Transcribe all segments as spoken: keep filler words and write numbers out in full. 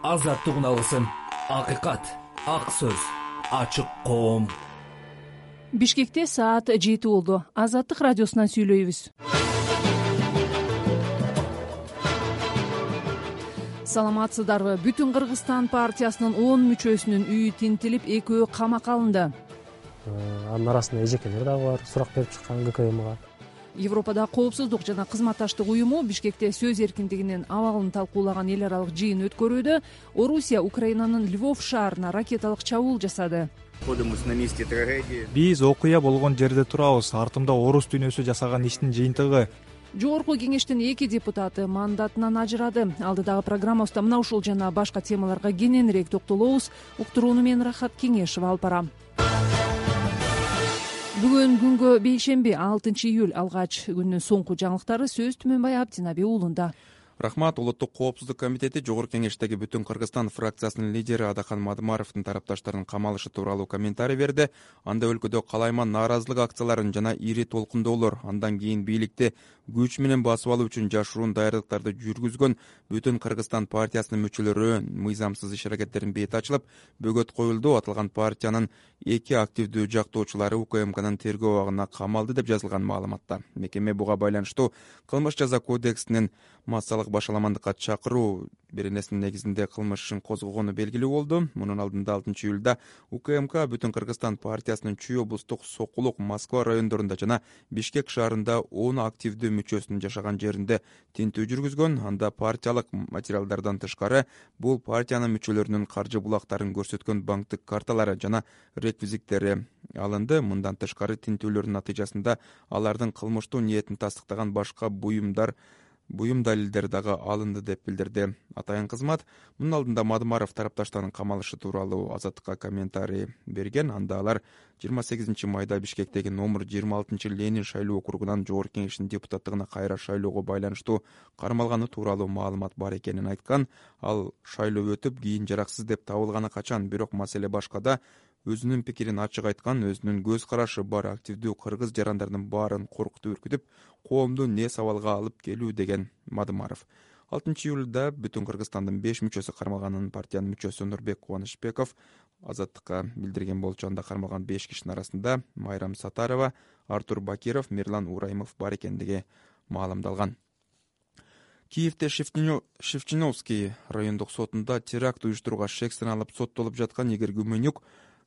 азаттык үналысын, акыйкат, ак сөз, ачык коом. Бишкекте саат жети болду. Азаттык радиосунан сүйлөйбүз. Саламатсыздарбы? Бүтүн Кыргызстан партиясынын он мүчөсүнүн үйү тинтилип, экөө камакка алынды. Анын арасында эжекелер дагы бар, сурак берип чыккан ГКМга. Европада коопсуздук жана кызматташтык уюму Бишкекте сөз эркиндигинин абалын талкуулаган эл аралык жыйын өткөрүүдө Орусия Украинанын Львов шаарына ракеталык чабуул жасады. Биз окуя болгон жерде турабыз. Артымда орус дүйнөсү жасаган иштин жыйынтыгы. Жогорку кеңештин эки депутаты мандатынан ажырады. Алдыдагы программабызда мына ушул жана башка темаларга кененирээк токтолобуз. Уктурууну мен Рахат Кеңешева алып барам. Бүгүн күнгө бейшемби алтынчы июль алгач күндүн соңку жаңылыктары сөз Түмөнбай Абдинаби уулунда. Рахмат. Улуттук коопсуздук комитети Жогорку кеңештеги Бүтүн Кыргызстан фракциясынын лидери Адахан Мадымаровдун тарапташтарынын камалышы тууралуу комментарий берди. Анда өлкөдө калайман нааразылык акцияларын жана ири толкундоолор, андан кийин бийликти күч менен басып алуу үчүн жашыруун даярдыктарды жүргүзгөн Бүтүн Кыргызстан партиясынын мүчөлөрү мыйзамсыз иш аракеттердин бети ачылып, бөгөт коюлду. Аталган партиянын эки активдүү жактоочулары УКМКнын тергөө абагына камалды деп жазылган маалыматта. Мекеме буга байланыштуу кылмыш жаза кодексинин массалык башаламандыкка чакыруу беренесинин негизинде кылмыш ишин козгогону белгилүү болду. Мунун алдында алтынчы июлда УКМК Бүтүн Кыргызстан партиясынын Чүй облустук Сокулук, Москва райондорунда жана Бишкек шаарында он активдүү мүчөсүнүн жашаган жеринде тинтүү жүргүзгөн. Анда партиялык материалдардан тышкары бул партиянын мүчөлөрүнүн каржы булактарын көрсөткөн банктык карталары жана реквизиттери алынды. Мындан тышкары тинтүүлөрдүн натыйжасында алардын кылмыштуу ниетин тастыктаган башка буюмдар буюм далилдер дагы алынды деп билдирди атайын кызмат. Мунун алдында Мадымаров тарапташтарынын камалышы тууралуу Азаттыкка комментарий берген. Анда алар жыйырма сегизинчи майда Бишкектеги номер жыйырма алтынчы Ленин шайлоо округунан Жогорку кеңештин депутаттыгына кайра шайлоого байланыштуу кармалганы тууралуу маалымат бар экенин айткан. Ал шайлоо өтүп, кийин жараксыз деп табылганы качан, бирок маселе башкада. Өзүнүн пикирин ачык айткан, өзүнүн көз карашы бар активдүү кыргыз жарандардын баарын коркутуп үркүтүп, коомду не сабалга алып келүү деген Мадымаров. алтынчы июлда Бүтүн Кыргызстандын беш мүчөсү кармалганын партиянын мүчөсү Нурбек Кубанычбеков Азаттыкка билдирген болчу. Анда кармалган беш кишинин арасында Майрам Сатарова, Артур Бакиров, Мирлан Ураймов бар экендиги маалымдалган. Киевде Шевчиновский райондук сотунда теракт уюштурууга шек саналып соттолуп жаткан Игорь Гуменюк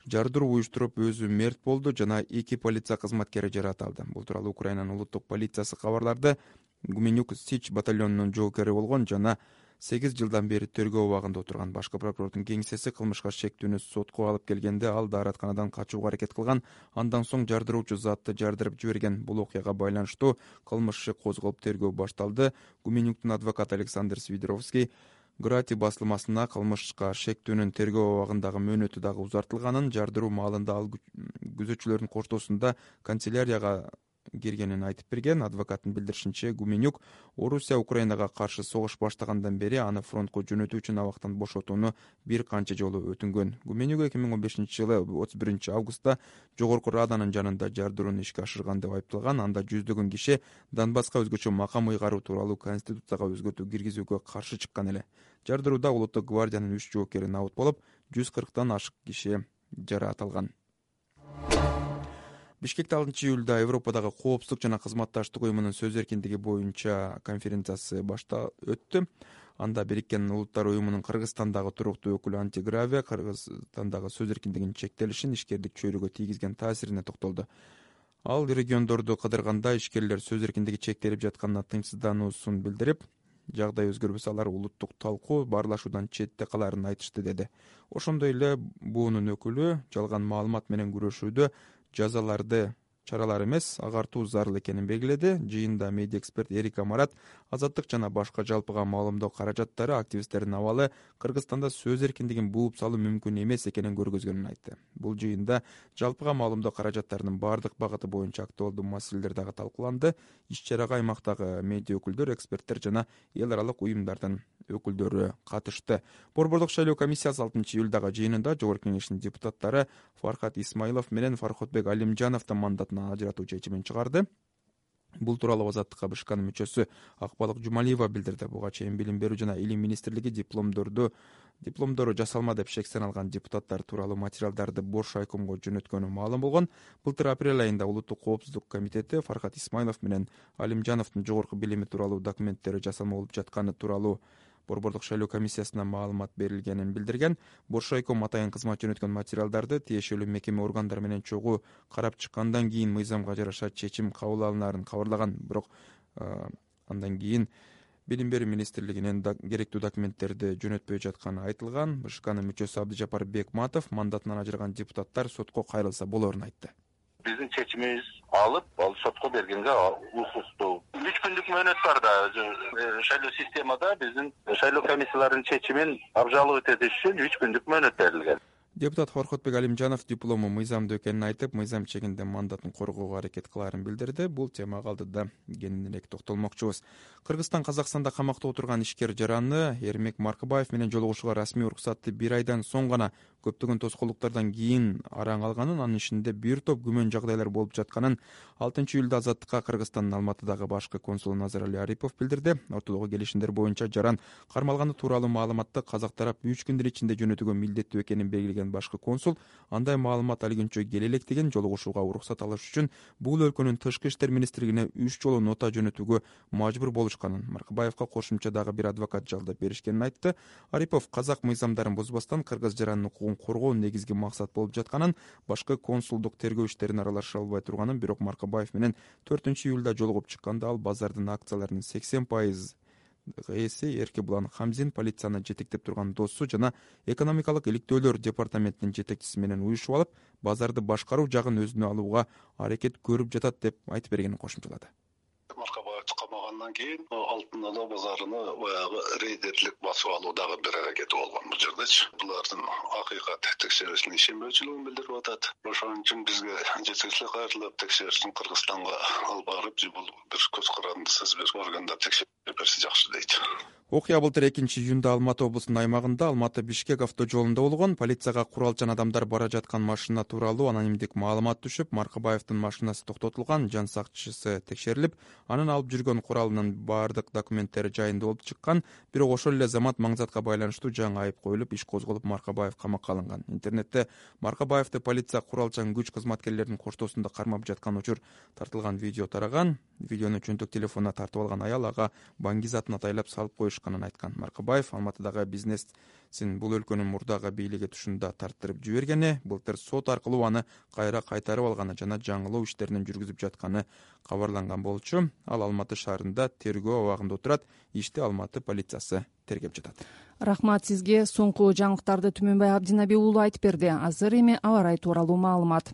жардыруу уюштуруп өзү мерт болду жана эки полиция кызматкери жаратылды. Бул тууралуу Украинанын улуттук полициясы кабарларды. Гуменюк Сич батальонунун жоокери болгон жана сегиз жылдан бери тергөө абагында отурган. Башкы прокурордун кеңсеси кылмышка шектүүнү сотко алып келгенде ал дааратканадан качууга аракет кылган. Андан соң жардыруучу затты жардырып жиберген. Бул окуяга байланыштуу кылмыш иши козголуп тергөө башталды. Гуменюктун адвокаты Александр Свидоровский Грати басылмасына кылмышка шектүүнүн тергөө абагындагы мөөнөтү дагы узартылганын, жардыруу маалында ал күзөтчүлөрдүн коштоосунда канцелярияга киргенин айтып берген. Адвокаттын билдиришинче, Гуменюк Орусия Украинага каршы согуш баштагандан бери аны фронтко жөнөтүү үчүн абактан бошотууну бир канча жолу өтүнгөн. Гуменюк эки миң он бешинчи жылы отуз биринчи августта Жогорку Раданын жанында жардырууну ишке ашырган деп айыпталган. Анда жүздөгөн киши Донбасска өзгөчө макам ыйгаруу тууралуу конституцияга өзгөртүү киргизүүгө каршы чыккан эле. Жардырууда Улуттук гвардиянын үч жоокери набыт болуп, жүз кырктан ашык киши жаратылган. Бишкекте алтынчы июлда Европадагы коопсуздук жана кызматташтык уюмунун сөз эркиндиги боюнча конференциясы башта өттү. Анда Бириккен Улуттар уюмунун Кыргызстандагы туруктуу өкүлү Антигравия Кыргызстандагы сөз эркиндигинин чектелишин, ишкерлик чөйрөгө тийгизген таасирине токтолду. Ал региондорду кыдырганда ишкерлер сөз эркиндиги чектелип жатканына тынчсыздануусун билдирип, жагдай өзгөрбөсө алар улуттук талкуу баарлашуудан четте каларын айтышты деди. Ошондой эле буунун өкүлү жалган маалымат менен күрөшүүдө жазаларды чаралар эмес, агартуу зарыл экенин белгиледи. Жыйында медиа эксперт Эрик Амарат азаттык жана башка жалпыга маалымдоо каражаттары активисттердин абалы Кыргызстанда сөз эркиндигин бууп салуу мүмкүн эмес экенин көргөзгөнүн айтты. Бул жыйында жалпыга маалымдоо каражаттарынын бардык багыты боюнча актуалдуу маселелер дагы талкууланды. Иш-чарага аймактагы медиа өкүлдөр, эксперттер жана эл аралык уюмдардын өкүлдөрү катышты. Борбордук шайлоо комиссиясы алтынчы июлдагы жыйынында Жогорку кеңештин депутаттары Фархат Исмаилов менен Фархотбек Алимжановду мандатынан ажыратуу чечимин чыгарды. Бул тууралуу Азаттыкка БШКнын мүчөсү Акбалык Жумалиева билдирди. Буга чейин Билим берүү жана Илим министрлиги дипломдорду дипломдору жасалма деп шектен алган депутаттар тууралуу материалдарды бош айкомго жөнөткөнү маалым болгон. Былтыр апрель айында Улуттук коопсуздук комитети Фархат Исмайлов менен Алимжановдун жогорку билими тууралуу документтери жасалма болуп жатканы тууралуу Борбордук шайлоо комиссиясына маалымат берилгенин билдирген. Бош айком атайын кызмат жөнөткөн материалдарды тиешелүү мекеме органдары менен чогуу карап чыккандан кийин мыйзамга жараша чечим кабыл алынаарын кабарлаган. Бирок андан кийин Билим берүү министрлигинен керектүү документтерди жөнөтпөй жатканы айтылган. БШКнын мүчөсү Абдыжапар Бекматов мандатынан ажыраган депутаттар сотко кайрылса болоорун айтты. Биздин чечимибиз алып, ал сотко бергенге укуктуу. үч күндүк мөөнөт бар да. Шайлоо системада биздин шайлоо комиссияларынын чечимин абжалып этиш үчүн үч күндүк мөөнөт берилген. Депутат Хоркотбек Алимжанов диплому мыйзамдуу экенин айтып, мыйзам чегинде мандатын коргоого аракет кылаарын билдирди. Бул темага алдыда кененирээк токтолмокчубуз. Кыргызстан Казакстанда камакта отурган ишкер жараны Эрмек Маркыбаев менен жолугушууга расмий уруксатты бир айдан соң гана көптөгөн тоскоолдуктардан кийин араң алганын, анын ичинде бир топ күмөн жагдайлар болуп жатканын алтынчы июлда Азаттыкка Кыргызстандын Алматыдагы башкы консулу Назарали Арипов билдирди. Ортодогу келишимдер боюнча жаран кармалганы тууралуу маалыматты казак тарап үч күндүн ичинде жөнөтүүгө милдеттүү экенин белгилеген башкы консул андай маалымат алгөнчө келе электеген, жолугушууга уруксат алыш үчүн бул өлкөнүн тышкы иштер министрлигине үч жолу нота жөнөтүүгө мажбур болушканын, Маркыбаевка кошумча дагы бир адвокат жалдап беришкенин айтты. Арипов казак мыйзамдарын бузбастан кыргыз жаранын укугун коргоо негизги максат болуп жатканын, башкы консулдук тергөө иштерине аралаша албай турганын, бирок Маркыбаев менен төртүнчү июлда жолугуп чыкканда ал базардын акцияларынын сексен пайыз ээси Эркебулан Хамзин полицияны жетектеп турган досу жана экономикалык иликтөөлөр департаментинин жетекчиси менен уюшуп алып, базарды башкаруу жагын өзүнө алууга аракет көрүп жатат деп айтып бергенин кошумчалады. Маркабаевди камагандан кийин Алтын Ала базарыны баягы рейдерлик басып алуудагы бир аракети болгон бул жердечи. Булардын акыйкат текшерүүсүнө ишенбөөчүлүгүн билдирип атат. Ошон үчүн бизге жетекчилик кайрылып текшерүүсүн Кыргызстанга алып барып, бул бир көз карандысыз бир органдар текшерип берсе жакшы дейт. Окуя былтыр экинчи июнда Алматы облусунун аймагында Алматы Бишкек автожолунда болгон. Полицияга куралчан адамдар бара жаткан машина тууралуу анонимдик маалымат түшүп, Маркыбаевдин машинасы токтотулган, жан сакчысы текшерилип, анын алып жүргөн куралынын баардык документтери жайында болуп чыккан. Бирок ошол эле замат маңзатка байланыштуу жаңы айып коюлуп, иш козголуп, Маркыбаев камакка алынган. Интернетте Маркыбаевди полиция куралчан күч кызматкерлеринин коштоосунда кармап жаткан учур тартылган видео тараган. Видеону чөнтөк телефонуна тартып алган аял ага баңгизатын атайлап салып коюшканын айткан. Маркыбаев Алматыдагы бизнесин бул өлкөнүн мурдагы бийлиги тушунда тарттырып жибергени, былтыр сот аркылуу аны кайра кайтарып алганы жана жаңылоо иштерин жүргүзүп жатканы кабарланган болчу. Ал Алматы шаарында тергөө абагында отурат. Ишти Алматы полициясы тергеп жатат. Рахмат сизге. Соңку жаңылыктарды Түмөнбай Абдинаби уулу айтып берди. Азыр эми аба ырайы тууралуу маалымат.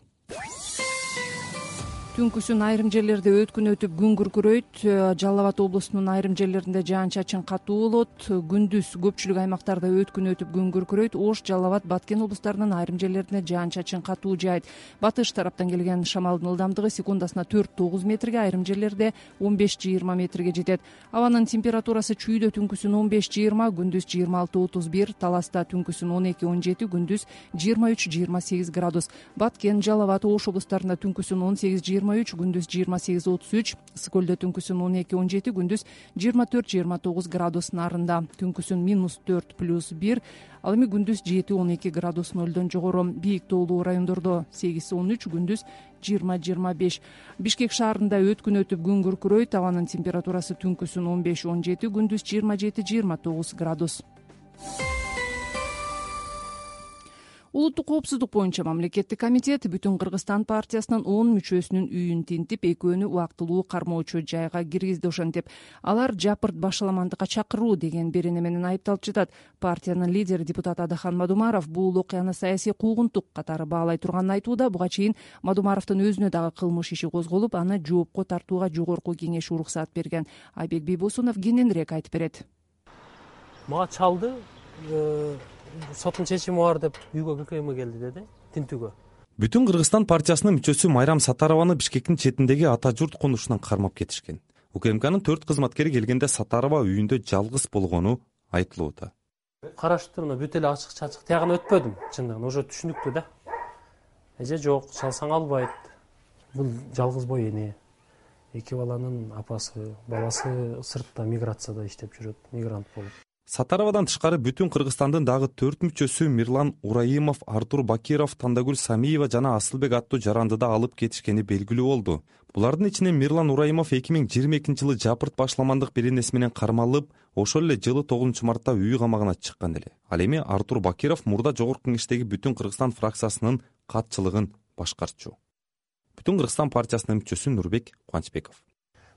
Түнкүсүн айрым жерлерде өткүн өтүп күн күркүрөйт. Жалал Абад облусунун айрым жерлеринде жаан-чачын катуу болот. Күндүз көпчүлүк аймактарда өткүн өтүп күн күркүрөйт. Ош, Жалал Абад, Баткен облустарынын айрым жерлеринде жаан-чачын катуу жаайт. Батыш тараптан келген шамалдын ылдамдыгы секундасына төрт тогуз метрге, айрым жерлерде он беш жыйырма метрге жетет. Абанын температурасы чүйдө түнкүсүн он беш жыйырма, күндүз жыйырма алты отуз бир, Таласта түнкүсүн он эки он жети, күндүз жыйырма үч жыйырма сегиз градус. Баткен, Жалал Абад, Ош облустарында түнкүсүн он сегиз жыйырма үч, күндүз жыйырма сегиз отуз үч, Сыкөлдө түнкүсүн он эки он жети, күндүз жыйырма төрт жыйырма тогуз градус. Нарында түнкүсүн минус төрт плюс бир, ал эми күндүз жети он эки градус нөлдөн жогору. Бийик тоолуу райондордо сегиз он үч, күндүз жыйырма жыйырма беш. Бишкек шаарында өткүн өтүп күн күркүрөйт. Абанын температурасы түнкүсүн он беш он жети, күндүз жыйырма жети жыйырма тогуз градус. Улуттук коопсуздук боюнча мамлекеттик комитет Бүтүн Кыргызстан партиясынын он мүчөсүнүн үйүн тинтип, экөөнү убактылуу кармоочу жайга киргизди. Ошентип, алар жапырт башаламандыкка чакыруу деген берене менен айыпталып жатат. Партиянын лидери депутат Адахан Мадумаров бул окуяны саясий куугунтук катары баалай турганын айтууда. Буга чейин Мадумаровдун өзүнө дагы кылмыш иши козголуп, аны жоопко тартууга жогорку кеңеш уруксат берген. Айбек Бийбосунов кененирээк айтып берет. Мага чалды, соттун чечими бар деп үйгө ККМ келди деди, тинтүүгө. Бүтүн Кыргызстан партиясынын мүчөсү Майрам Сатарованы Бишкектин четиндеги ата журт конушунан кармап кетишкен. УКМКнын төрт кызматкери келгенде Сатарова үйүндө жалгыз болгону айтылууда. Караштырууна бүт эле ачык чачык тиягына өтпөдүм, чындыгын уже түшүнүктүү да. Эже жок, чалсаң албайт. Бул жалгыз бой эне. Эки баланын апасы, баласы сыртта миграцияда иштеп жүрөт, мигрант болуп. Сатаровадан тышкары бүтүн Кыргызстандын дагы төрт мүчөсү Мирлан Ураимов, Артур Бакиров, Тандагүл Самиева жана Асылбек аттуу жарандыда алып кетишкени белгилүү болду. Булардын ичинен Мирлан Ураимов эки миң жыйырма экинчи жылы жапырт башламандык беренеси менен кармалып, ошол эле жылы тогузунчу мартта үй камагына чыккан эле. Ал эми Артур Бакиров мурда Жогорку Кеңештеги Бүтүн Кыргызстан фракциясынын катчылыгын башкарчу. Бүтүн Кыргызстан партиясынын мүчөсү Нурбек Кубанычбеков.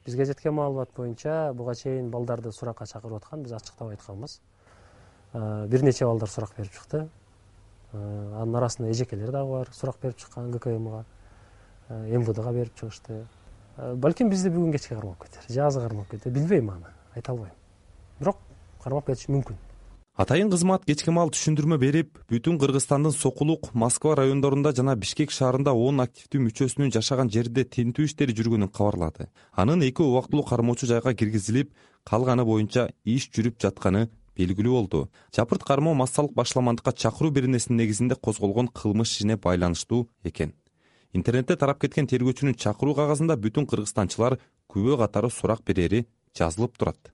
Бизге жеткен маалымат боюнча буга чейин балдарды суракка чакырып аткан, биз ачыктап айтканбыз. Бир нече балдар сурак берип чыкты. Анын арасында эжекелер дагы бар, сурак берип чыккан ГКМга, эм вэ дэга берип чыгышты. Балким бизди бүгүн кечке кармап кетер, же азы кармап кетер, билбейм аны, айта албайм. Бирок кармап кетиши мүмкүн. Атайын кызмат кечки маал түшүндүрмө берип, Бүтүн Кыргызстандын Сокулук, Москва райондорунда жана Бишкек шаарында он активдүү мүчөсүнүн жашаган жерде тинтүү иштери жүргөнүн кабарлады. Анын эки убактылуу кармоочу жайга киргизилип, калганы боюнча иш жүрүп жатканы белгилүү болду. Жапырт кармоо массалык башламандыкка чакыруу беренесинин негизинде козголгон кылмыш ишине байланыштуу экен. Интернетте тарап кеткен тергөөчүнүн чакыруу кагазында бүтүн кыргызстанчылар күбө катары сурак берери жазылып турат.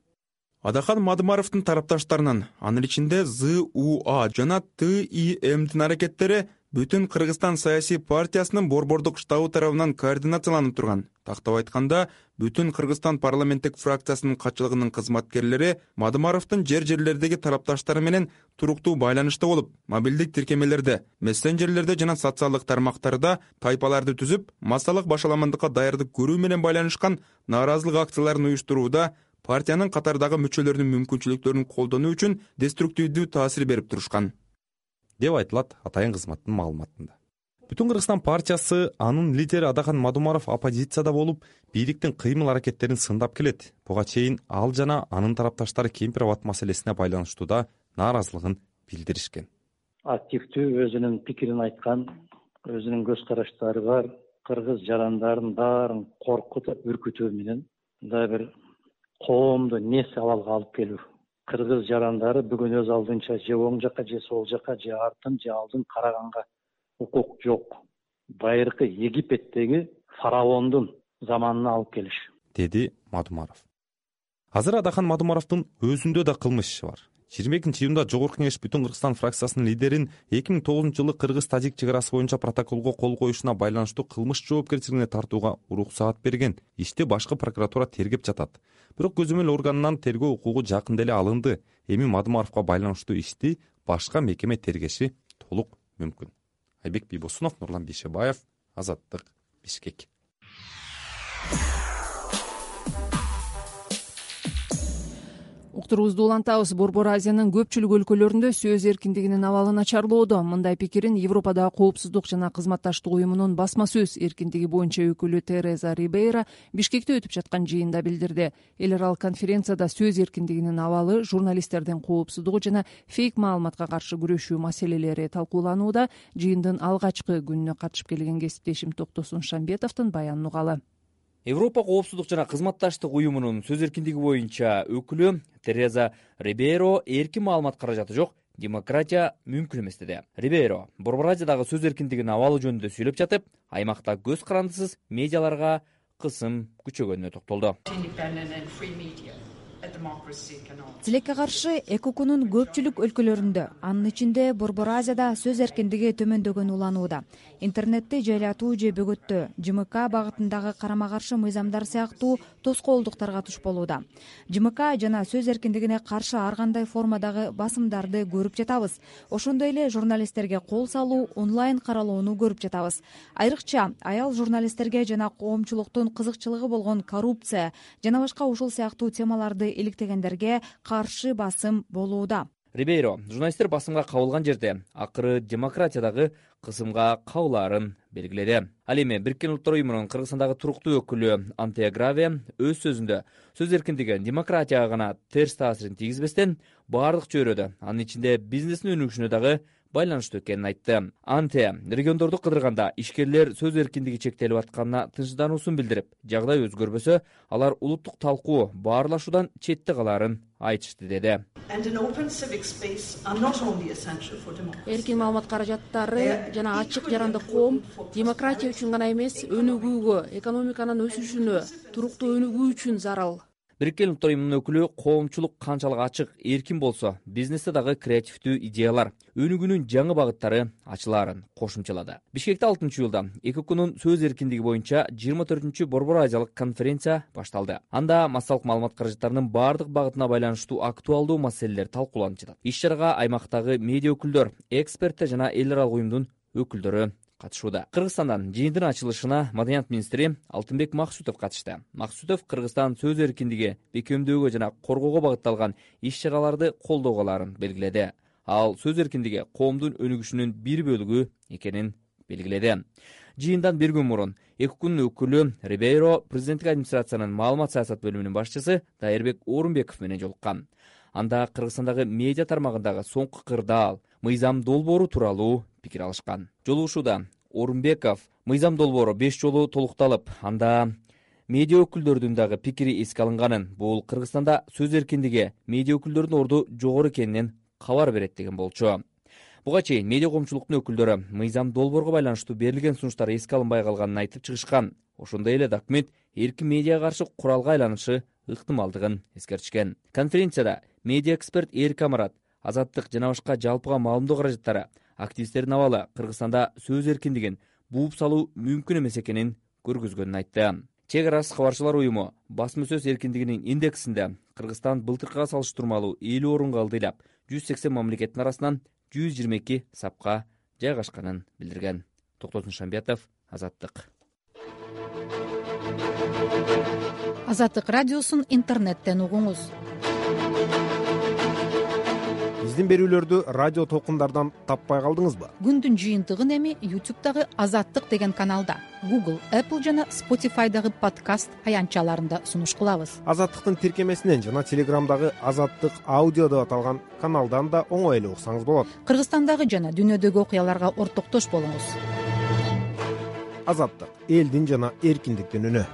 Адахан Мадымаровдун тарапташтарынын, анын ичинде зэ у а жана тэ и эмдин аракеттери Бүтүн Кыргызстан саясий партиясынын борбордук штабы тарабынан координацияланып турган. Тактап айтканда, Бүтүн Кыргызстан парламенттик фракциясынын катчылыгынын кызматкерлери Мадымаровдун жер-жерлердеги тарапташтары менен туруктуу байланышта болуп, мобилдик тиркемелерде, мессенджерлерде жана социалдык тармактарда тайпаларды түзүп, массалык башаламандыкка даярдык көрүү менен байланышкан нааразылык акцияларын уюштурууда партиянын катардагы мүчөлөрүнүн мүмкүнчүлүктөрүн колдонуу үчүн деструктивдүү таасир берип турушкан, деп айтылат атайын кызматтын маалыматында. Бүтүн Кыргызстан партиясы, анын лидери Адахан Мадымаров оппозицияда болуп, бийликтин кыймыл аракеттерин сындап келет. Буга чейин ал жана анын тарапташтары Кемпир абад маселесине байланыштууда нааразылыгын билдиришкен. Активдүү өзүнүн пикирин айткан, өзүнүн көз караштары бар, кыргыз жарандарын баарын коркутуп, үркүтүү менен да бир коомду нес абалга алып келүү. Кыргыз жарандары бүгүн өз алдынча же оң жакка, же сол жакка, же артын, же алдын караганга укук жок. Байыркы Египеттеги фараондун заманына алып келиш, деди Мадымаров. Азыр Адахан Мадымаровдун өзүндө да кылмыш иши бар. жыйырма экинчи июнда Жогорку Кеңеш Бүтүн Кыргызстан фракциясынын лидерин эки миң тогузунчу жылы кыргыз-тажик чек арасы боюнча протоколго кол коюшуна байланыштуу кылмыш жоопкерчилигине тартууга уруксаат берген. Ишти башкы прокуратура тергеп жатат. Бирок көзөмөл органынан тергөө укугу жакында эле алынды. Эми Мадымаровго байланыштуу ишти башка мекеме тергеши толук мүмкүн. Айбек Бийбосунов, Нурлан Бейшебаев, Азаттык, Бишкек. Уктурубузду улантабыз. Борбор Азиянын көпчүлүк өлкөлөрүндө сөз эркиндигинин абалы начарлоодо. Мындай пикирин Европадагы коопсуздук жана кызматташтык уюмунун басма сөз эркиндиги боюнча өкүлү Тереза Рибейра Бишкекте өтүп жаткан жыйында билдирди. Эл аралык конференцияда сөз эркиндигинин абалы, журналисттердин коопсуздугу жана фейк маалыматка каршы күрөшүү маселелери талкууланууда. Жыйындын алгачкы күнүнө катышып келген кесиптешим Токтосун Шамбетовдун баянын угалы. Европа коопсуздук жана кызматташтык уюмунун сөз эркиндиги боюнча өкүлү Тереза Рибейро эркин маалымат каражаты жок, демократия мүмкүн эмес деди. Рибейро Борбор Азиядагы сөз эркиндигинин абалы жөнүндө сөйлөп жатып, аймакта көз карандысыз медиаларга кысым күчөгөнүнө токтолду. Тилекке каршы ЭКОКунун көпчүлүк өлкөлөрүндө, анын ичинде Борбор Азияда сөз эркиндиги төмөндөгөнү уланууда. Интернетти жайлатуу же бөгөттөө, ЖМК багытындагы карама каршы мыйзамдар сыяктуу тоскоолдуктарга туш болууда. ЖМК жана сөз эркиндигине каршы ар кандай формадагы басымдарды көрүп жатабыз. Ошондой эле журналисттерге кол салуу, онлайн каралоону көрүп жатабыз. Айрыкча аял журналисттерге жана коомчулуктун кызыкчылыгы болгон коррупция жана башка ушул сыяктуу темаларды иликтегендерге каршы басым болууда. Рибейро журналисттер басымга кабылган жерде акыры демократиядагы кысымга кабылаарын белгиледи. Ал эми Бириккен Улуттар уюмунун Кыргызстандагы туруктуу өкүлү Антея Граве өз сөзүндө сөз эркиндиги демократияга гана терс таасирин тийгизбестен баардык чөйрөдө, анын ичинде бизнестин өнүгүшүнө дагы байланыштуу экенин айтты. Анте региондорду кыдырганда ишкерлер сөз эркиндиги чектелип атканына тынчсыздануусун билдирип, жагдай өзгөрбөсө, алар улуттук талкуу баарлашуудан четте калаарын айтышты деди. Эркин маалымат каражаттары жана ачык жарандык коом демократия үчүн гана эмес, өнүгүүгө, экономиканын өсүшүнө, туруктуу өнүгүү үчүн зарыл. Бириккен Улуттар Уюмунун өкүлү коомчулук канчалык ачык, эркин болсо, бизнесте дагы креативдүү идеялар, өнүгүүнүн жаңы багыттары ачылаарын кошумчалады. Бишкекте алтынчы июлда ЭКОКунун сөз эркиндиги боюнча жыйырма төртүнчү Борбор Азиялык конференция башталды. Анда массалык маалымат каражаттарынын бардык багытына байланыштуу актуалдуу маселелер талкууланып жатат. Иш-чарага аймактагы медиа өкүлдөр, эксперттер жана эл аралык уюмдун өкүлдөрү катышууда. Кыргызстандан жыйындын ачылышына Маданият министри Алтынбек Максутов катышты. Максутов Кыргызстан сөз эркиндиги бекемдөөгө жана коргоого багытталган иш-чараларды колдоого аларын белгиледи. Ал сөз эркиндиги коомдун өнүгүшүнүн бир бөлүгү экенин белгиледи. Жыйындан бир күн мурун ЭКОКунун өкүлү Рибейро президенттик администрациянын маалымат саясат бөлүмүнүн башчысы Дайырбек Орунбеков менен жолуккан. Анда Кыргызстандагы медиа тармагындагы соңку кырдаал, мыйзам долбоору тууралуу пикир алышкан. Жолугушууда Орунбеков мыйзам долбоору беш жолу толукталып, анда медиа өкүлдөрдүн дагы пикири эске алынганын, бул Кыргызстанда сөз эркиндиги медиа өкүлдөрүнүн орду жогору экенинен кабар берет деген болчу. Буга чейин медиа коомчулуктун өкүлдөрү мыйзам долбоорго байланыштуу берилген сунуштар эске алынбай калганын айтып чыгышкан. Ошондой эле документ эркин медиага каршы куралга айланышы ыктымалдыгын эскертишкен. Конференцияда медиа эксперт Эрик Амарат, Азаттык жана башка жалпыга маалымдоо каражаттары активисттердин абалы Кыргызстанда сөз эркиндигин бууп салуу мүмкүн эмес экенин көргөзгөнүн айтты. Чек арасы кабарчылар уюму басма сөз эркиндигинин индексинде Кыргызстан былтыркыга салыштырмалуу элүү орунга ылдыйлап, жүз сексен мамлекеттин арасынан жүз жыйырма эки сапка жайгашканын билдирген. Токтосун Шамбиятов, Азаттык. Азаттык радиосун интернеттен угуңуз. Биздин берүүлөрдү радио толкундардан таппай калдыңызбы? Күндүн жыйынтыгын эми YouTube'дагы Азаттык деген каналда, Google, Apple жана Spotify'дагы подкаст аянтчаларында сунуш кылабыз. Азаттыктын тиркемесинен жана Телеграмдагы Азаттык аудио деп аталган каналдан да оңой эле уксаңыз болот. Кыргызстандагы жана дүйнөдөгү окуяларга ортоктош болуңуз. Азаттык — элдин жана эркиндиктин үнү.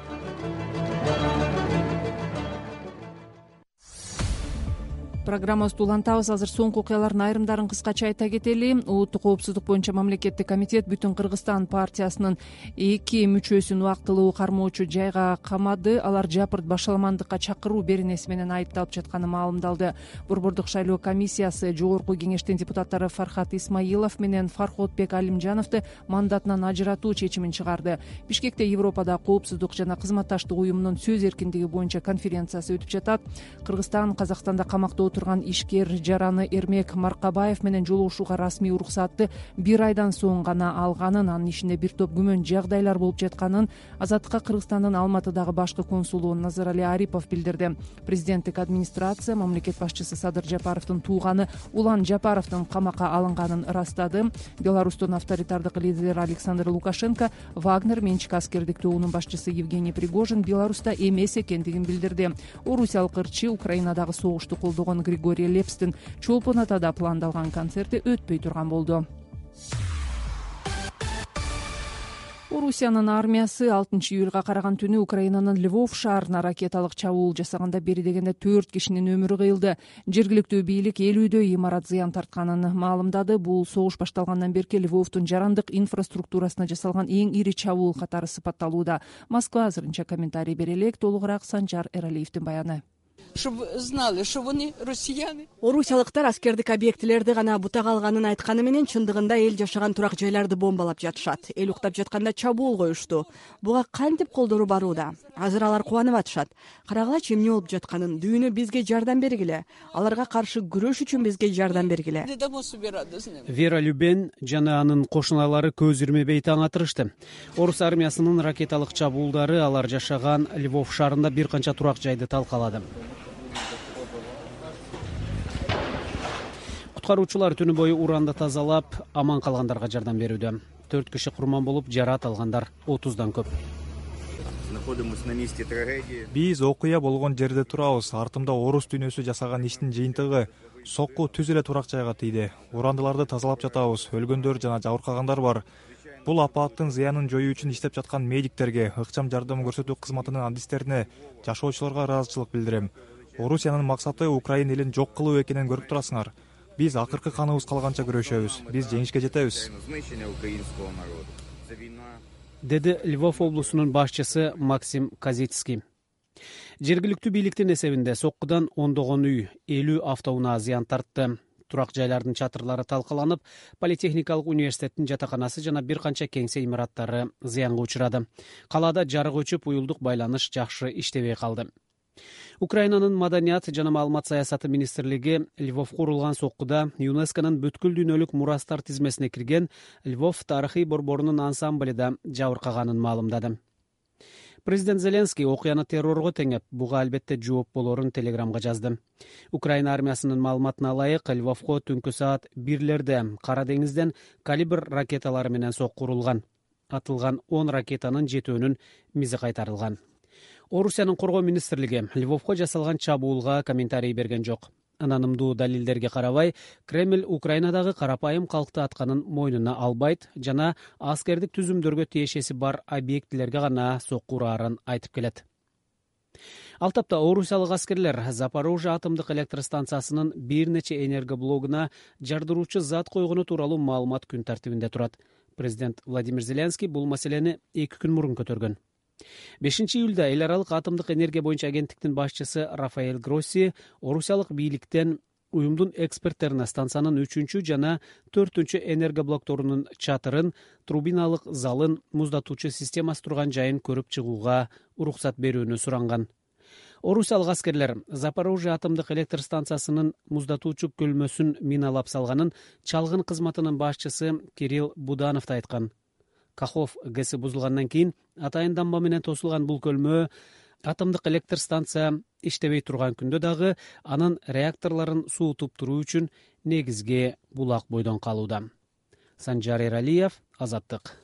Программабызды улантабыз. Азыр соңку окуялардын айрымдарын кыскача айта кетели. Улуттук коопсуздук боюнча мамлекеттик комитет Бүтүн Кыргызстан партиясынын эки мүчөсүн убактылуу кармоочу жайга камады. Алар жапырт башаламандыкка чакыруу беренеси менен айыпталып жатканы маалымдалды. Борбордук шайлоо комиссиясы жогорку кеңештин депутаттары Фархат Исмаилов менен Фарходбек Алимжановду мандатынан ажыратуу чечимин чыгарды. Бишкекте Европада коопсуздук жана кызматташтык уюмунун сөз эркиндиги боюнча конференциясы өтүп жатат. Кыргызстан Казакстанда камакта отурган ишкер жараны Эрмек Маркабаев менен жолугушууга расмий уруксатты бир айдан соң гана алганын, анын ишинде бир топ күмөн жагдайлар болуп жатканын Азаттыкка Кыргызстандын Алматыдагы башкы консулу Назарали Арипов билдирди. Президенттик администрация мамлекет башчысы Садыр Жапаровдун тууганы Улан Жапаровдун камакка алынганын ырастады. Беларустун авторитардык лидери Александр Лукашенко Вагнер менчик аскердик тобунун башчысы Евгений Пригожин Беларуста эмес экендигин билдирди. Орусиялык ырчы Украинадагы согушту колдогон Григорий Лепстин Чолпон Атада пландалган концерти өтпөй турган болду. Орусиянын армиясы алтынчы июлга караган түнү Украинанын Львов шаарына ракеталык чабуул жасаганда бери дегенде төрт кишинин өмүрү кыйылды. Жергиликтүү бийлик элүүдө имарат зыян тартканын маалымдады. Бул согуш башталгандан берки Львовдун жарандык инфраструктурасына жасалган эң ири чабуул катары сыпатталууда. Москва азырынча комментарий бере элек. Толугураак Санжар Эралиевдин баяны. Чтобы знали, что они россияне. Орусиялыктар аскердик объектилерди гана бутага алганын айтканы менен чындыгында эл жашаган турак жайларды бомбалап жатышат. Эл уктап жатканда чабуул коюшту. Буга кантип колдору барууда? Азыр алар кубанып атышат. Карагылачы эмне болуп жатканын. Дүйнө бизге жардам бергиле. Аларга каршы күрөш үчүн бизге жардам бергиле. Вера Любен жана анын кошуналары көз ирмебей таң атырышты. Орус армиясынын ракеталык чабуулдары алар жашаган Львов шаарында бир канча турак жайды талкалады. Куткаруучулар түнү бою уранды тазалап, аман калгандарга жардам берүүдө. Төрт киши курман болуп, жараат алгандар отуздан көп. Биз окуя болгон жерде турабыз. Артымда орус дүйнөсү жасаган иштин жыйынтыгы. Сокку түз эле турак жайга тийди. Урандыларды тазалап жатабыз. Өлгөндөр жана жабыркагандар бар. Бул апаттын зыянын жоюу үчүн иштеп жаткан медиктерге, ыкчам жардам көрсөтүү кызматынын адистерине, жашоочуларга ыраазычылык билдирем. Орусиянын максаты Украина элин жок кылуу экенин көрүп турасыңар. Биз акыркы каныбыз калганча күрөшөбүз. Биз жеңишке жетебиз. Деди Львов облусунун башчысы Максим Казицкий. Жергиликтүү бийликтин эсебинде соккудан ондогон үй, элүү автоунаа зыян тартты. Турак жайлардын чатырлары талкаланып, Политехникалык университеттин жатаканасы жана бир канча кеңсе имараттары зыянга учурады. Калаада жарык өчүп, уюлдук байланыш жакшы иштебей калды. Украинанын маданият жана маалымат саясаты министрлиги Львовко урулган соккуда ЮНЕСКОнун бүткүл дүйнөлүк мурастар тизмесине кирген Львов тарыхый борборунун ансамбли да жабыркаганын маалымдады. Президент Зеленский окуяны террорго теңеп, буга албетте жооп болорун телеграмга жазды. Украина армиясынын маалыматына ылайык, Львовко түнкү саат бирлерде Кара деңизден калибр ракеталары менен сокку урулган. Атылган он ракетанын жетөөнүн мизи кайтарылган. Орусиянын коргоо министрлиги Львовко жасалган чабуулга комментарий берген жок. Ананымдуу далилдерге карабай, Кремль Украинадагы карапайым калкты атканын мойнуна албайт жана аскердик түзүмдөргө тиешеси бар объектилерге гана сокку ураарын айтып келет. Ал тапта орусиялык аскерлер Запорожье атомдук электр станциясынын бир нече энергоблогуна жардыруучу зат койгону тууралуу маалымат күн тартибинде турат. Президент Владимир Зеленский бул маселени эки күн мурун көтөргөн. бешинчи июлда эл аралык атомдук энергия боюнча агенттиктин башчысы Рафаэль Гросси орусиялык бийликтен уюмдун эксперттерине станциянын үчүнчү жана төртүнчү энергоблокторунун чатырын, турбиналык залын, муздатуучу системасы турган жайын көрүп чыгууга уруксат берүүнү суранган. Орусиялык аскерлер Запорожье атомдук электр станциясынын муздатуучу көлмөсүн миналап салганын чалгын кызматынын башчысы Кирилл Будановду айткан. Кахов ГЭСи бузулгандан кийин атайын дамба менен тосулган бул көлмө атомдук электр станция иштебей турган күндө дагы анын реакторлорун суутуп туруу үчүн негизги булак бойдон калууда. Санжар Эралиев, Азаттык.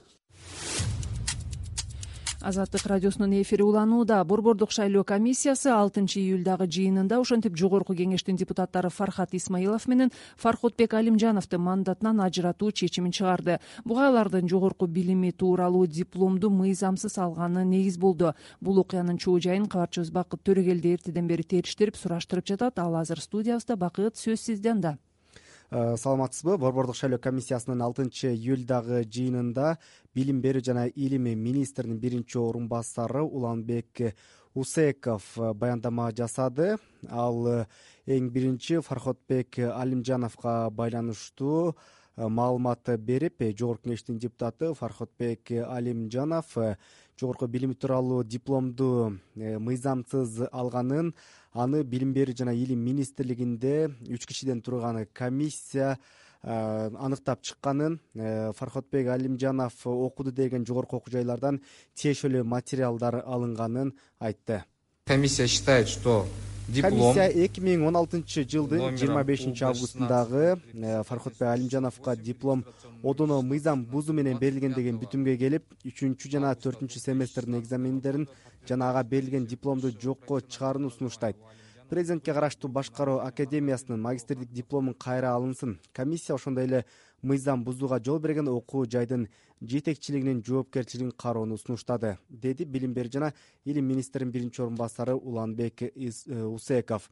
Азаттык радиосунун эфири уланууда. Борбордук шайлоо комиссиясы алтынчы июлдагы жыйынында ошентип жогорку кеңештин депутаттары Фархат Исмаилов менен Фархотбек Алимжановду мандатынан ажыратуу чечимин чыгарды. Буга алардын жогорку билими тууралуу дипломду мыйзамсыз алганы негиз болду. Бул окуянын чоо жайын кабарчыбыз Бакыт Төрөгелди эртеден бери териштирип, сураштырып жатат. Ал азыр студиябызда. Бакыт, сөз сизде анда. Саламатсызбы? Борбордук шайлоо комиссиясынын алтынчы июлдагы жыйынында билим берүү жана илим министринин биринчи орун басары Уланбек Усеков баяндама жасады. Ал эң биринчи Фархотбек Алимжановго байланыштуу маалымат берип, жогорку кеңештин депутаты Фархотбек Алимжанов жогорку билими тууралуу дипломду мыйзамсыз алганын, аны билим берүү жана илим министрлигинде үч кишиден турган комиссия аныктап чыкканын, Фархотбек Алимжанов окуду деген жогорку окуу жайлардан тиешелүү материалдар алынганын айтты. Комиссия считает, что диплом Комиссия эки миң он алтынчы жылдын жыйырма бешинчи августундагы Фархотбек Алимжановго диплом одоно мыйзам бузуу менен берилген деген бүтүмгө келип, үчүнчү жана төртүнчү семестрдин экзамендерин жана ага берилген дипломду жокко чыгарууну сунуштайт. Президентке караштуу башкаруу академиясынын магистрдик дипломун кайра алынсын. Комиссия ошондой эле мыйзам бузууга жол берген окуу жайдын жетекчилигинин жоопкерчилигин кароону сунуштады, деди билим берүү жана илим министринин биринчи орун басары Уланбек Усеков.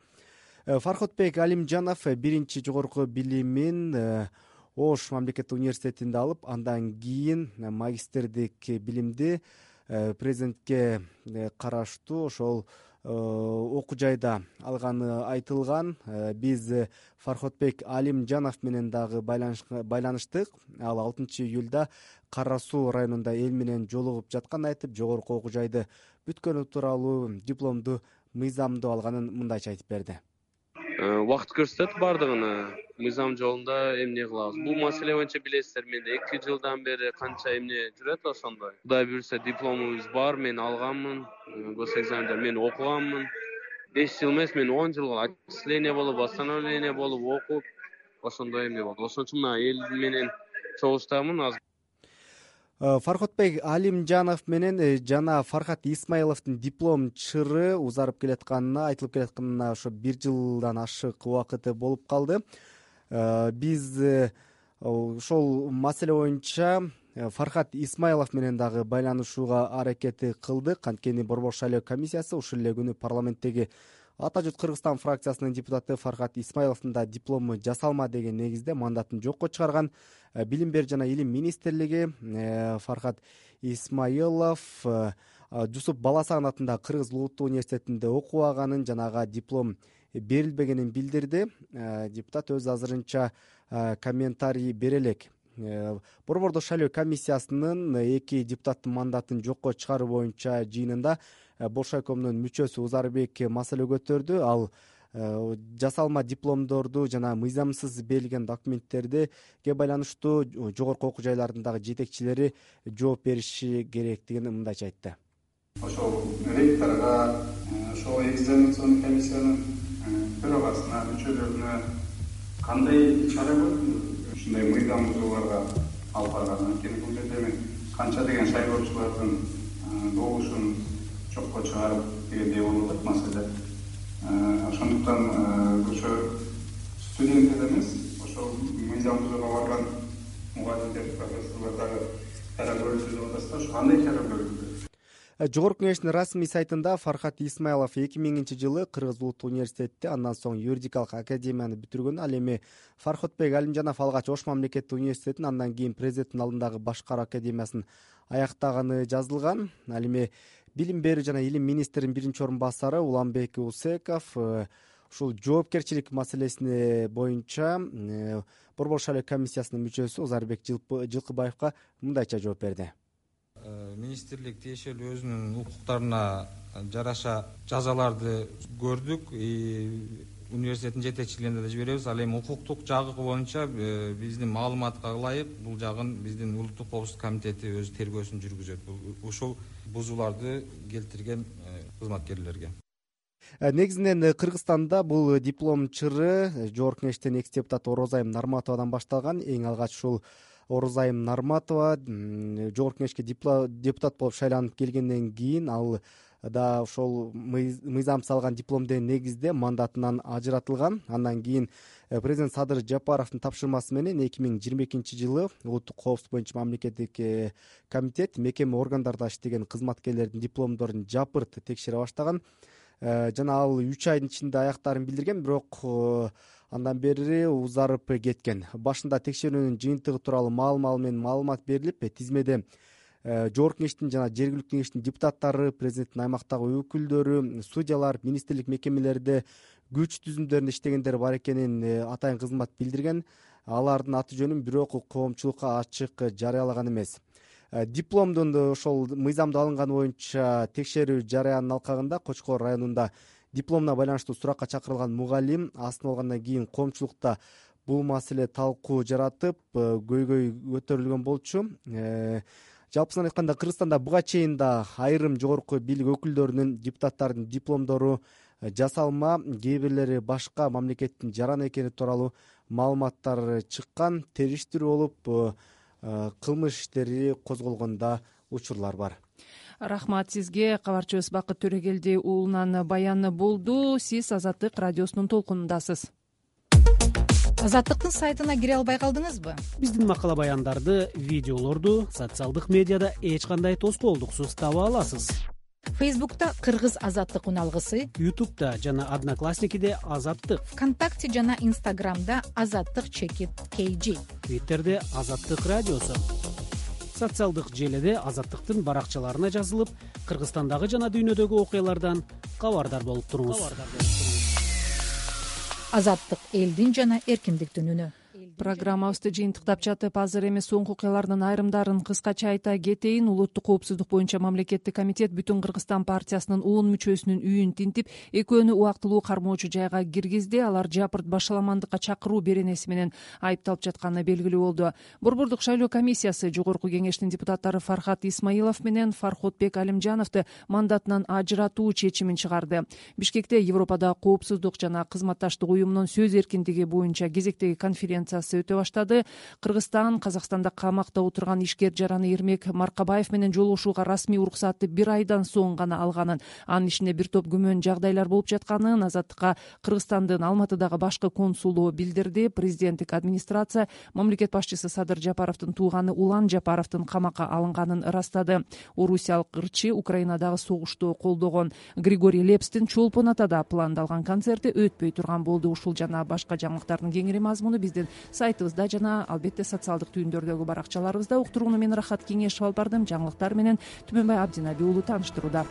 Фархотбек Алимжанов биринчи жогорку билимин Ош мамлекеттик университетинде алып, андан кийин магистрдик билимди президентке караштуу ошол окуу жайда алганы айтылган. Биз Фархотбек Алимжанов менен дагы байланыштык. Ал алтынчы июлда Кара Суу районунда эл менен жолугуп жатканын айтып, жогорку окуу жайды бүткөнү тууралуу дипломду мыйзамдуу алганын мындайча айтып берди. Убакыт көрсөтөт бардыгын, мыйзам жолунда эмне кылабыз. Бул маселе боюнча билесиздер, мен эки жылдан бери канча эмне жүрөт ошондой. Кудай буюрса дипломубуз бар, мен алганмын, гос экзамендер мен окуганмын. беш жыл эмес, мен он жыл отчисление болуп, восстановление болуп окуп, ошондой эмне болду. Ошон үчүн мына эл менен чогуштамын азыр. Фархотбек Алимжанов менен жана Фархат Исмаиловдун диплом чыры узарып келатканына, айтылып келатканына ошо бир жылдан ашык убакыты болуп калды. Биз ошол маселе боюнча Фархат Исмаилов менен дагы байланышууга аракет кылдык. Анткени Борбордук шайлоо комиссиясы ушул эле күнү парламенттеги Ата журт Кыргызстан фракциясынын депутаты Фархат Исмаиловдун да диплому жасалма деген негизде мандатын жокко чыгарган. Билим берүү жана илим министрлиги Фархат Исмаилов Жусуп Баласаган атындагы Кыргыз улуттук университетинде окубаганын жана ага диплом берилбегенин билдирди. Депутат өз азырынча комментарий бере элек. Борбордук шайлоо комиссиясынын эки депутаттын мандатын жокко чыгаруу боюнча жыйынында Болшайкомдун мүчөсү Узарбек маселе көтөрдү. Ал жасалма дипломдорду жана мыйзамсыз берилген документтерге байланыштуу жогорку окуу жайларындагы жетекчилери жооп бериши керектигин мындайча айтты. Ошол ректорго, ошол экзаменационный комиссиянын төрагасына, мүчөлөрүнө кандай чара көрдүңүз? Ушундай мыйзам бузууларга алып барган. Анткени бул жерде мен канча деген шайлоочулардын добушун жокко чыгарып дегендей болуп атат маселе. Ошондуктан ошо студент эле эмес, ошол мыйзам бузууга барган мугалимдер, профессорлор дагы чара көрүлсү деп атасыздар. Ошо кандай чара көрүлдү? Жогорку кеңештин расмий сайтында Фархат Исмайлов эки миңинчи жылы Кыргыз улуттук университетте, андан соң юридикалык академияны бүтүргөн. Ал эми Фархотбек Алимжанов алгач Ош мамлекеттик университетин, андан кийин президенттин алдындагы башкаруу академиясын аяктаганы жазылган. Ал эми билим берүү жана илим министринин биринчи орун басары Уланбек Усеков ушул жоопкерчилик маселесине боюнча Борбор шайлоо комиссиясынын мүчөсү Узарбек Жылкыбаевга мындайча жооп берди. Министрлик тиешелүү өзүнүн укуктарына жараша жазаларды көрдүк. Университеттин жетекчилигине да жиберебиз. Ал эми укуктук жагы боюнча биздин маалыматка ылайык бул жагын биздин улуттук коопсуздук комитети өз тергөөсүн жүргүзөт. Ушул бузууларды келтирген кызматкерлерге. Негизинен Кыргызстанда бул диплом чыры жогорку кеңештин экс депутаты Орозайым Нарматовадан башталган. Эң алгач ушул Орозайым Нарматова жогорку кеңешке депутат болуп шайланып келгенден кийин ал да ошол мыйзам салган диплом деген негизде мандатынан ажыратылган. Андан кийин президент Садыр Жапаровдун тапшырмасы менен эки миң жыйырма экинчи жылы улуттук коопсуздук боюнча мамлекеттик комитет мекеме органдарда иштеген кызматкерлердин дипломдорун жапырт текшере баштаган. Жана ал үч айдын ичинде аяктарын билдирген, бирок андан бери узарып кеткен. Башында текшерүүнүн жыйынтыгы тууралуу маал-маал менен маалымат берилип, тизмеде жогорку кеңештин жана жергиликтүү кеңештин депутаттары, президенттин аймактагы өкүлдөрү, судьялар, министрлик мекемелерде күч түзүмдөрүндө иштегендер бар экенин атайын кызмат билдирген. Алардын аты жөнүн бирок коомчулукка ачык жарыялаган эмес. Дипломдун ошол мыйзамда алынганы боюнча текшерүү жарыянын алкагында Кочкор районунда дипломуна байланыштуу суракка чакырылган мугалим астын алгандан кийин коомчулукта бул маселе талкуу жаратып, көйгөй көтөрүлгөн болчу. Жалпысынан айтканда Кыргызстанда буга чейин да айрым жогорку бийлик өкүлдөрүнүн, депутаттардын дипломдору жасалма, кээ бирлери башка мамлекеттин жараны экени тууралуу маалыматтар чыккан, териштирүү болуп кылмыш иштери козголгонда учурлар бар. Рахмат сизге. Кабарчыбыз Бакыт Төрөгелди уулунан баяны болду. Сиз Азаттык радиосунун толкунундасыз. Азаттыктын сайтына кире албай калдыңызбы? Биздин макала баяндарды, видеолорду социалдык медиада эч кандай тоскоолдуксуз таба аласыз. Фейсбукта Кыргыз Азаттык уналгысы, Ютубта жана Одноклассникиде Азаттык, ВКонтакте жана Инстаграмда Азаттык чекит кей жи, Твиттерде Азаттык радиосу. Социалдык желеде Азаттыктын баракчаларына жазылып, Кыргызстандагы жана дүйнөдөгү окуялардан кабардар болуп туруңуз. Азаттык элдин жана эркиндиктин үнү. Программабызды жыйынтыктап жатып, азыр эми соңку окуялардын айрымдарын кыскача айта кетейин. Улуттук коопсуздук боюнча мамлекеттик комитет Бүтүн Кыргызстан партиясынын он мүчөсүнүн үйүн тинтип, экөөнү убактылуу кармоочу жайга киргизди. Алар жапырт башаламандыкка чакыруу беренеси менен айыпталып жатканы белгилүү болду. Борбордук шайлоо комиссиясы жогорку кеңештин депутаттары Фархат Исмайлов менен Фархотбек Алимжановду мандатынан ажыратуу чечимин чыгарды. Бишкекте Европада коопсуздук жана кызматташтык уюмунун сөз эркиндиги боюнча кезектеги конференция өтө баштады. Кыргызстан Казакстанда камакта отурган ишкер жараны Эрмек Маркабаев менен жолугушууга расмий уруксатты бир айдан соң гана алганын, анын ичинде бир топ күмөн жагдайлар болуп жатканын Азаттыкка Кыргызстандын Алматыдагы башкы консулу билдирди. Президенттик администрация мамлекет башчысы Садыр Жапаровдун тууганы Улан Жапаровдун камакка алынганын ырастады. Орусиялык ырчы Украинадагы согушту колдогон Григорий Лепстин Чолпон Атада пландалган концерти өтпөй турган болду. Ушул жана башка жаңылыктардын кеңири мазмуну биздин сайтыбызда жана албетте социалдык түйүндөрдөгү баракчаларыбызда. Уктурууну мен Рахат Кеңешев алып бардым. Жаңылыктар менен Түмөнбай Абдинаби уулу тааныштырууда.